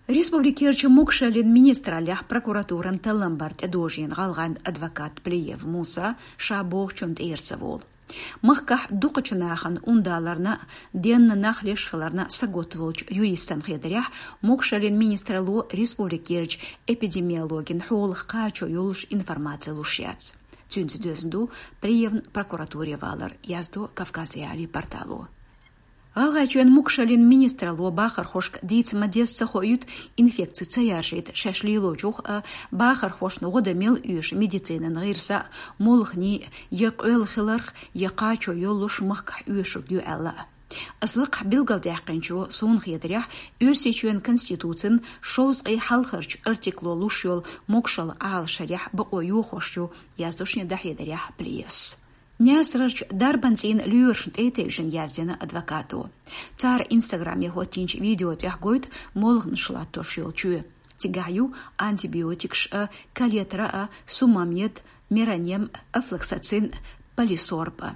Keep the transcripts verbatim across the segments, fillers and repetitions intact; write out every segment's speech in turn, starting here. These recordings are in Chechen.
Республикерча могашаллин министраллехь прокуратуран талламбар тӀедожийна гӀалгӀайн адвокат Плиев Муса ша бохучун тӀера ца волу. Махкахь дукхачу нахана ундаларна, денна нах леш хиларна саготта волчу юристан хетарехь, могашаллин министралло республикерча эпидемиологин хьолах кхачо йолуш информаци луш яц. Цуьнца доьзна ду Плиевн прокуратуре валар, яздо Кавказ.Реалии портало. ГӀалгӀайчоьнан могашаллин министралло бахархошка дийца ма-дезза ца хоуьйту, инфекци ца яржийта шаьш лелочух а, бахархошна гӀо дан мел оьшу медицинан гӀирса а, молханийн я къоьлла хиларх, я кхачо йоллуш махкахь оьшург ю аьлла а. Ас лакхахь билгалдаьккхинчо суна хетарехь, Оьрсийчоьнан Конституцин шовзткъе хьалхарчу артикло луш йолу могашалла Ӏалашъярехь бакъо йохош ю, яздо шен дӀахьедарехь Плиевс. Несарарчу дарбан цӀийнан лоьрашна тӀе а тевжина яздина адвокато. Цара Инстаграме хӀоттийначу видео тӀехь гойту молханаш латтош йолу чоь. Цигахь ю антибиотикаш а, калетра а, сумамед, меронем, афлоксацин, полисорб а.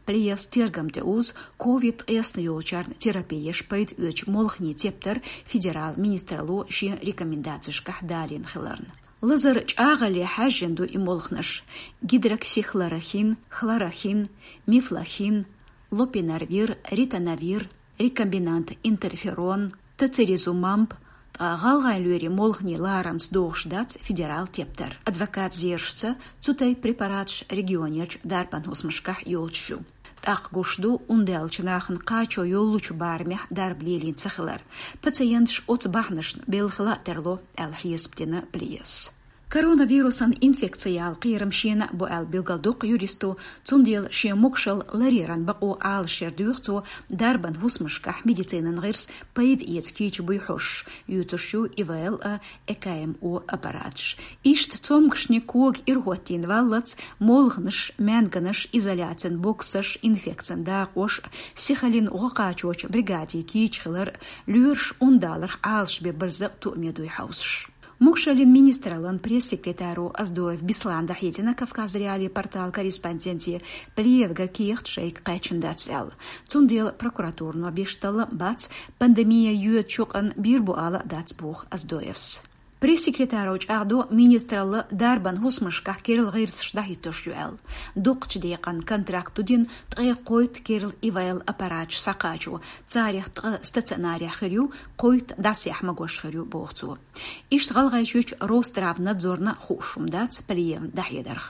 Плиевс тергам тӀе узу ковид ткъесна йолчарна терапи еш пайда оьцучу молханийн тептар федерал министралло шен рекомендацешкахь далийна хиларна. Лазар чӀагӀалле хьаьжжина ду и молханаш: гидроксихлорохин, хлорохин, мифлохин, лопинарвир, ритонавир, рекомбинант интерферон, тоцилизумаб, ткъа гӀалгӀайн лоьрийн молханийн ларамца догӀуш дац федерал тептар. Адвокат зерашца, цу тайпа препараташ регионерчу дарбан хӀусамашкахь йолчу ю. ТӀаккха гуш ду ундаьллачу нахана кхачо йоллучу барамехь дарба лелийна ца хилар. Пациенташ оцу бахьанашна белхала а тарло, аьлла хьесап дина Плиевс. Коронавирусан инфекцияла кхерам шена а бу аьлла билгалдоккху юристо, цундела шен могашалла ларъяран бакъо Ӏалашъяр доьху цо дарбан хӀусамашкахь медицинан гӀирс пайда эца кийча буй хьожуш, юьйцуш ю ИВЛ а, ЭКМО аппараташ. Иштта цомгушни кога ирахӀоттийна валлалц, молханаш, маьнганаш, изоляцин боксаш, инфекцин дакъош, сихаллин гӀо кхачочу бригадийн кийча хилар, лоьраш ундаларх Ӏалашбе барзакъ туаме дуй хьовсуш. Могашаллин министраллан пресс-секретаро Оздоев Беслана дӀахьедина Кавказ.Реалии порталан корреспонденте, Плиевга кехат шайга кхаьчна дац аьлла. Цундела прокуратуро беш таллам а бац, пандемия йоьдучу къана бийр бу ала а дац, боху Оздоевс. Пресс-секретаро чӀагӀдо, министралла дарбан хӀусамашкахь керла гӀирсаш дӀахӀиттош ю аьлла. Дукхачу декъан контракт ду дина ткъе кхойтта керла ИВЛ аппараташ схьакхачо, царех ткъа стационарехь хир ю, кхойтта дӀасаяхьа магош хир ю, боху цо. Иштта ГӀалгӀайчуьрчу Росздравнадзорна хууш хӀума дац Плиевн дӀахьедарх.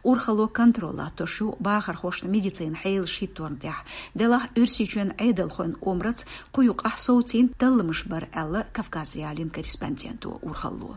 Урхалло контроль латтош ю бахархошна медицинан хьелаш хӀитторна тӀехь. Делахь Оьрсийчоьнан Ӏедалхойн омраца кху юкъахь совцийна талламаш бара аьлла Кавказ.Реалиин корреспонденто. Урхалло,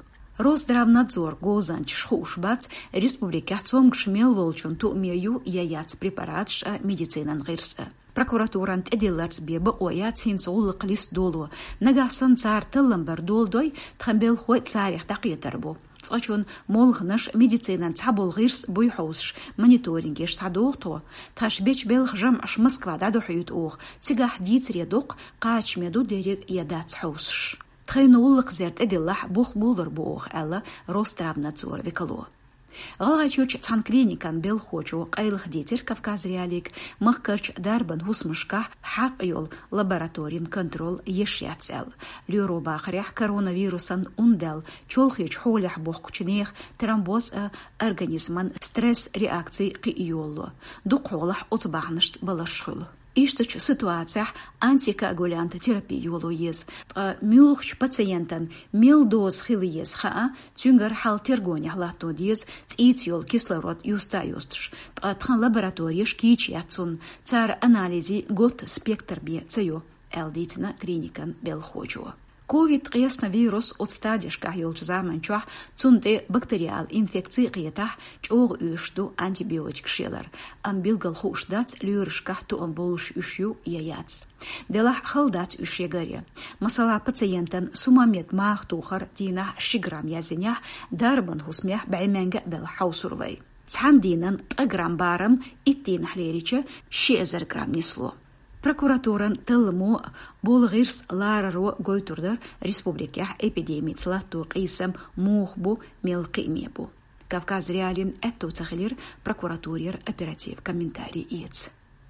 Росздравнадзоран говзанчаша хууш бац, республикехь цомгуш мел волчун туаме ю я яц препараташ а, медицинан гӀирс а. Прокуратуран тӀедилларца бен бакъо яц хӀинца гӀуллакх листа доло. Нагахь санна цара таллам бар доладой, тхан белхахой царех дӀакхетар бу. Цкъачунна молханаш, медицинан цхьаболу гӀирс буй хьовсуш, мониторингеш схьадоху тхо. Тхаьш бечу белхан жамӀаш Москва дӀадохьуьйту оха, цигахь дийцаре доккху, кхачаме ду дерриг я дац хьовсуш. Тхайна гӀуллакх зер тӀедиллахь, бух болур бу оха, аьлла Росздравнадзоран векало. ГӀалгӀайчуьрчу цхьана клиникан белхахочо къайлаха дийцира Кавказ.Реалиига, махкарчу дарбан хӀусамашкахь хьакъ йолу лабораторин контроль еш яц аьлла. Лоьро бахарехь, коронавирусан ундаьлла чолхечу хьолехь бохкучу нехан тромбоз а, организман стресс реакций кхин а йолало. Дукха хьолахь оцу бахьанашца баларш хуьлу. Ишттачу ситуацехь антикоагулянт терапи йоло еза, ткъа муьлххачу пациентан мел доза хила еза хаа, цуьнгара хьал тергонехь латто деза, цӀийца йолу кислород юста а юстуш, ткъа тхан лаборатореш кийча яц цунна, цара анализийн готта спектр бен ца йо, аьлла дийцина клиникан белхахочо. Ковид ткъесна вирус оцу стадешкахь йолчу заманчохь цунна тӀе бактериал инфекций а кхетахь, чӀогӀа оьшуш ду антибиотикаш ялар, амма билггал хууш дац, лоьрашкахь тоам болуш уьш ю я яц. Делахь хала дац уьш ягар а. Масала, пациентан сумамед маха тухар дийнахь ши грамм язйинехь, дарбан хӀусамехь бӀе маьнга а белахь хьовсур вай. Цхьана дийнан ткъа грамм барам итт дийнахь лерича, ши эзар грамм нисло. Прокуратуран талламо, болу гӀирс лараро гойтур дара республикехь эпидемица латто къийсам муха бу, мел кхиаме бу. Кавказ.Реалиин аьтто ца хилира прокуратурера оператив комментарий эца.